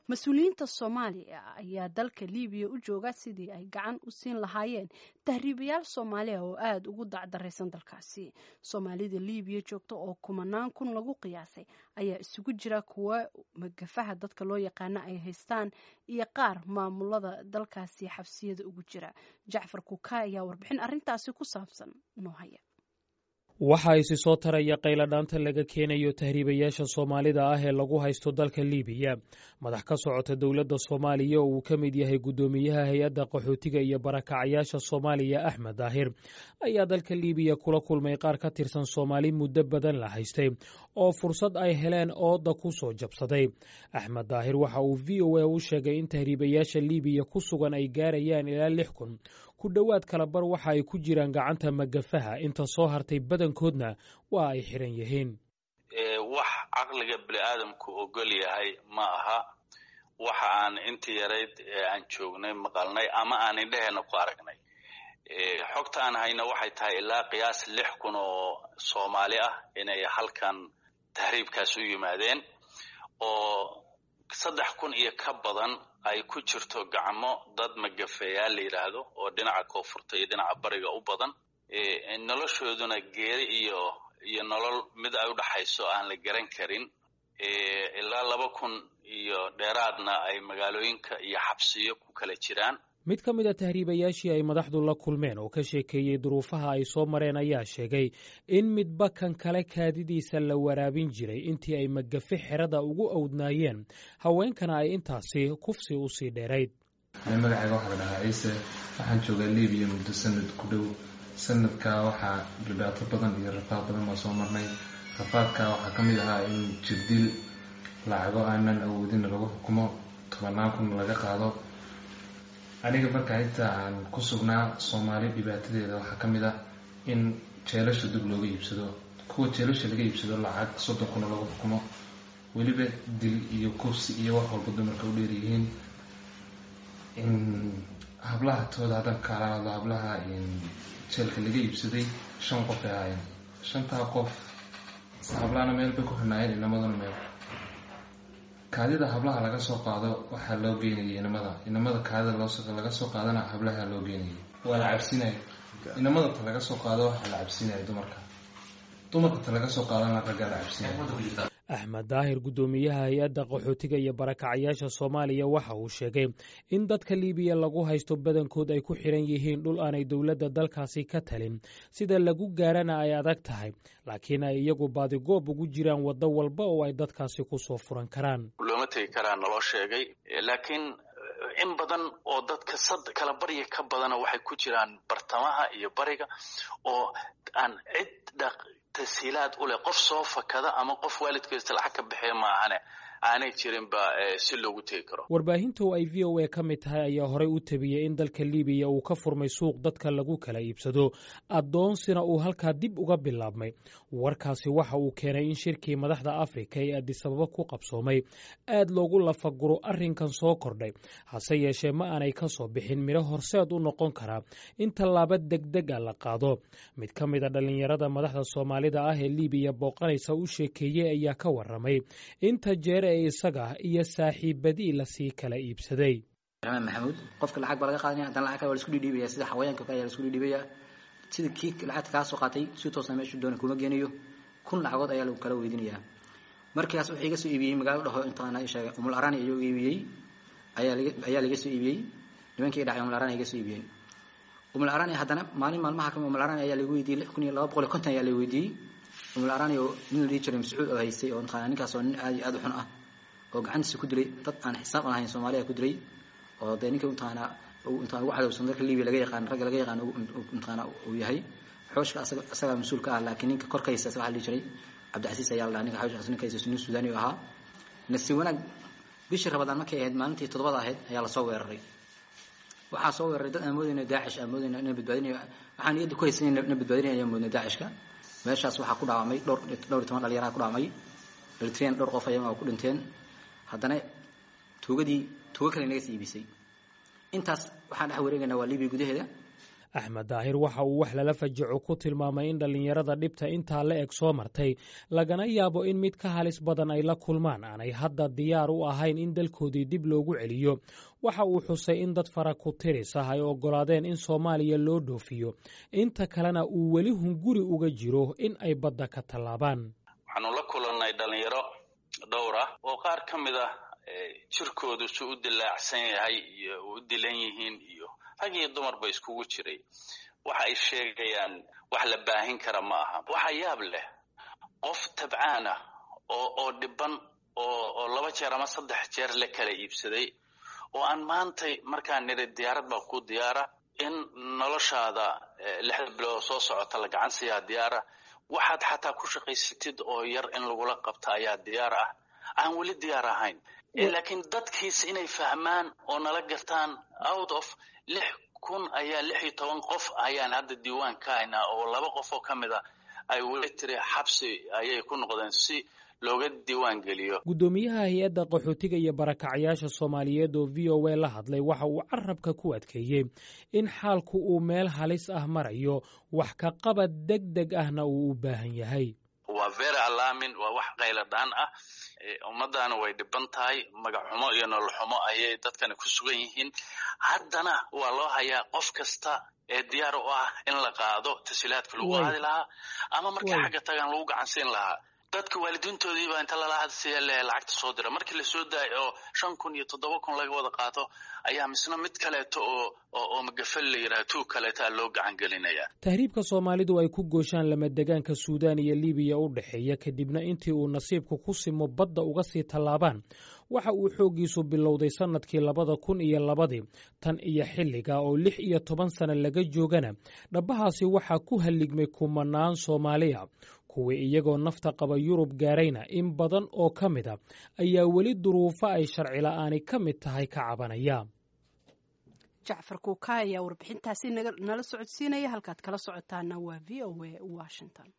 Mas-uuliyiinta Soomaaliya ayaa dalka Liibiya u jooga sidii ay gacan u siin lahaayeen tahriibayaal Soomaaliya oo aada ugu dacdaraysan dalkaasi. Soomaalida Liibiya joogta oo kumanaan kun lagu qiyaasay ayaa isugu jira kuwa magafaha dadka loo yaqaano ay haystaan iyo qaar maamulada dalkaasi xabsiyada ugu jira. Jacfar Kuka ayaa warbixin arrintaasi ku saabsan noo haya. Waxa isi soo taraya qayladhaanta laga keenayo tahriibayaasha Soomaalida ah ee lagu haysto dalka Liibiya. Madax ka socota dowladda Soomaaliya oo uu ka mid yahay guddoomiyaha hay-adda qaxootiga iyo barakacayaasha Soomaaliya, Axmed Daahir, ayaa dalka Liibiya kula kulmay qaar ka tirsan Soomaali muddo badan la haystay oo fursad ay heleen ooda ku soo jabsaday. Axmed Daahir waxa uu VOA u sheegay in tahriibayaasha Liibiya ku sugan ay gaarayaan ilaa 6000. Ku dhowaad kalabar waxa ay ku jiraan gacanta magafaha, inta soo hartay badankoodna waa ay xiran yihiin. Wax caqliga bini aadamku ogol yahay ma aha. Waxa aan intii yarayd ee aan joognay maqalnay ama aan indheheena ku aragnay, xogta aan hayna waxay tahay ilaa qiyaas 6000 oo Soomaali ah inay halkan tahriibkaas u yimaadeen, oo 3000 iyo ka badan ay ku jirto gacmo dad magafeeyaal la yidhaahdo oo dhinaca koonfurta iyo dhinaca bariga u badan, noloshooduna geeri iyo nolol mid ay u dhaxayso aan la garan karin. Ilaa 2000 iyo dheeraadna ay magaalooyinka iyo xabsiyo ku kala jiraan. Mid ka mid a tahriibayaashii ay madaxdu la kulmeen oo ka sheekeeyey duruufaha ay soo mareen ayaa sheegay in midba kan kale kaadidiisa la waraabin jiray intii ay magafe xerada ugu awdnaayeen, haweenkana ay intaasi kufsi u sii dheerayd. Magacayga waxaa la dhahaa Ciise. Waxaan joogaa Libiya muddo sanad ku dhow. Sanadkaa waxaa dhibaato badan iyo rafaad badan baa soo marnay. Rafaadka waxaa ka mid ahaa in jirdil, lacago aanan awoodin lagu xukumo, tobannaan kun laga qaado aniga. Markaa inta aan ku sugnaa Soomaali dhibaatadeeda waxaa ka mid ah in jeelasha dib looga iibsado, kuwa jeelasha laga iibsado lacag 30 kuna lagu xukumo, weliba dil iyo kufsi iyo wax walba dumarka u dheeryihiin. Hablaha tooda haddaan kaala hadlo, hablaha jeelka laga iibsaday shan qof ay ahaayeen. Shantaa qof hablahana meel bay ku xidhnaayeen, inamaduna meel. Kaadida hablaha laga soo qaado waxaa loo geynayay inamada, inamada kaadida laga soo qaadana hablaha loo geynayay, waa la cabsinaya. Inamada ta laga soo qaado waxaa la cabsinaya dumarka, dumarka ta laga soo qaadana raggaa la cabsinaya. Axmed Daahir, guddoomiyaha hay-adda qaxootiga iyo barakacayaasha Soomaaliya, waxa uu sheegay in dadka Liibiya lagu haysto badankood ay ku xiran yihiin dhul aanay dowladda dalkaasi ka talin, sida lagu gaarana ay adag tahay, laakiin ay iyagu baadigoob ugu jiraan waddo walba oo ay dadkaasi ku soo furan karaan. Looma tegi karaa naloo sheegay, laakiin in badan oo dadka sad kala barya ka badana waxay ku jiraan bartamaha iyo bariga oo aan cid dhaq tasiilaad u leh, qof soo fakada ama qof waalidkiisa lacag ka bixiya maahane aanay jirinba si loogu tegi karo. Warbaahinta oo ay VOA ka mid tahay ayaa horey u tabiyey in dalka Liibiya uu ka furmay suuq dadka lagu kala iibsado, addoonsina uu halkaa dib uga bilaabmay. Warkaasi waxa uu keenay in shirkii madaxda Afrika ee Adisababa ku qabsoomay aad loogu lafaguro arrinkan soo kordhay. Hase yeeshee ma aanay ka soo bixin midho horseed u noqon karaa in tallaabo degdeg a la qaado. Mid ka mid a dhallinyarada madaxda Soomaalida ah ee Liibiya booqanaysa u sheekeeyey ayaa ka warramay inta jeer ee isaga iyo saaxiibadii lasii kala iibsaday. Raxmaan Maxamuud. Qofka lacag baa laga qaadanaya, haddana lacag kale waa la isku dhidhiibaya, sida xawayaanka kale ayaa la isku dhidhiibaya. Sida kii lacagta kaa soo qaatay si toosna meeshu doona kuma geenayo, 1000 lacagood ayaa lagu kala weydiinayaa. Markaas wuxuu iga soo iibiyey magaalo dhaho intaan sheegay Umul Arani ayuu iibiyey, ayaa laga soo iibiyey. Nimankii dhacay Umul Arani iga soo iibiyeen Umul Arani. Haddana maalin maalmaha kamid Umul Arani ayaa lagu weydiiyey, 6250 ayaa la weydiiyey Umul Arani, oo nin la dhihi jiray Mascuud oo haystay, oo mataqaanaa ninkaas oo nin aad iyo aad u xun ah oo gacantiisa ku dilay dad aan xisaab aan lahayn Soomaaliya ku dilay, oo dee ninka mataqaanaa intaan ugu cadowsan dalka Libiya laga yaqaan, ragga laga yaqaan mataqaanaa uu yahay. Xooshka asaga mas-uulka ah, laakiin ninka korkaysa waxaa la dhihi jiray Cabdicasiis ayaa la dhahaa. Ninka xooshkaas ninka haysa nin Suudaani ahaa. Nasiib wanaag, bishii Rabadaan markay ahayd maalintii 7da ahayd ayaa lasoo weeraray. Waxaa soo weeraray dad aan moodayna Daacish, aan moodayna inay badbaadinayo, waxaan niyadda ku haysanay na badbaadinaya ayaan moodnay Daacishka. Meeshaas waxaa ku dhaawacmay dhowr iyo toban dhalinyaraha ku dhaawacmay, Eritrean dhowr qof ayaga ku dhinteen. Haddana tuugadii tuugo kale naga sii iibisay. Intaas waxaan dhex wareegaynaa waa Libiya gudaheeda. Axmed Daahir waxa uu wax lala fajaco ku tilmaamay in dhallinyarada dhibta intaa la eg soo martay, lagana yaabo in mid ka halis badan ay la kulmaan, aanay hadda diyaar u ahayn in dalkoodii dib loogu celiyo. Waxa uu xusay in dad fara ku tiris ah ay oggolaadeen in Soomaaliya loo dhoofiyo, inta kalena uu weli hunguri uga jiro in ay badda ka tallaabaan. Waxaanu la kulannay dhallinyaro dhowr ah oo qaar ka mid ah jirkoodu si u dilaacsan yahay iyo u dilan yihiin, iyo rag iyo dumarba iskugu jiray. Waxa ay sheegayaan wax la baahin kara ma aha. Waxa yaab leh, qof tabcaan ah oo dhiban oo 2 jeer ama 3 jeer la kala iibsaday, oo aan maantay markaan niri diyaarad baa ku diyaara, in noloshaada 6da bilood soo socota la gacan siiyaa diyaara, waxaad xataa ku shaqaysatid oo yar in lagula qabta ayaa diyaar ah, aan weli diyaar ahayn. Laakiin dadkiis inay fahmaan oo nala gartaan, out of 6000 ayaa 16 qof ayaan hadda diiwaan ka haynaa, oo 2 qof oo ka mid a ay weli tiri xabsi ayay ku noqdeen si looga diiwaan geliyo. Guddoomiyaha hay-adda qaxootiga iyo barakacyaasha Soomaaliyeed oo VOA la hadlay waxa uu carabka ku adkeeyey in xaalku uu meel halis ah marayo, wax ka qabad deg deg ahna uu u baahan yahay. Waa very alarming, waa wax qayladhaan ah. Ummaddaana way dhiban tahay, magac xumo iyo nolol xumo ayay dadkani ku sugan yihiin. Haddana waa loo hayaa qof kasta ee diyaar u ah in la qaado tasiilaadka lagu qaadi lahaa ama markay xagga tagaan lagu gacansiin lahaa. Dadka waalidiintoodii baa inta lala hadsiya le lacagta soo dira, markii lasoo daayo oo 5000 iyo 7000 laga wada qaato, ayaa misna mid kaleeto oo magafal la yidhaha tuug kaleetaa loo gacan gelinaya. Tahriibka Soomaalidu ay ku gooshaan lamadegaanka Suudaan iyo Liibiya u dhexeeya, kadibna intii uu nasiibku ku simo badda uga sii tallaabaan, waxa uu xooggiisu bilowday sannadkii 2002dii. Tan iyo xilliga oo 16 sano laga joogana, dhabbahaasi waxaa ku halligmay kumanaan Soomaaliya. Kuwii iyagoo nafta qaba Yurub gaarayna, in badan oo ka mid a ayaa weli duruufo ay sharci la'aani ka mid tahay ka cabanaya. Jacfar Kuuka ayaa warbixintaasi nala socodsiinaya. Halkaad kala socotaana waa VOA Washington.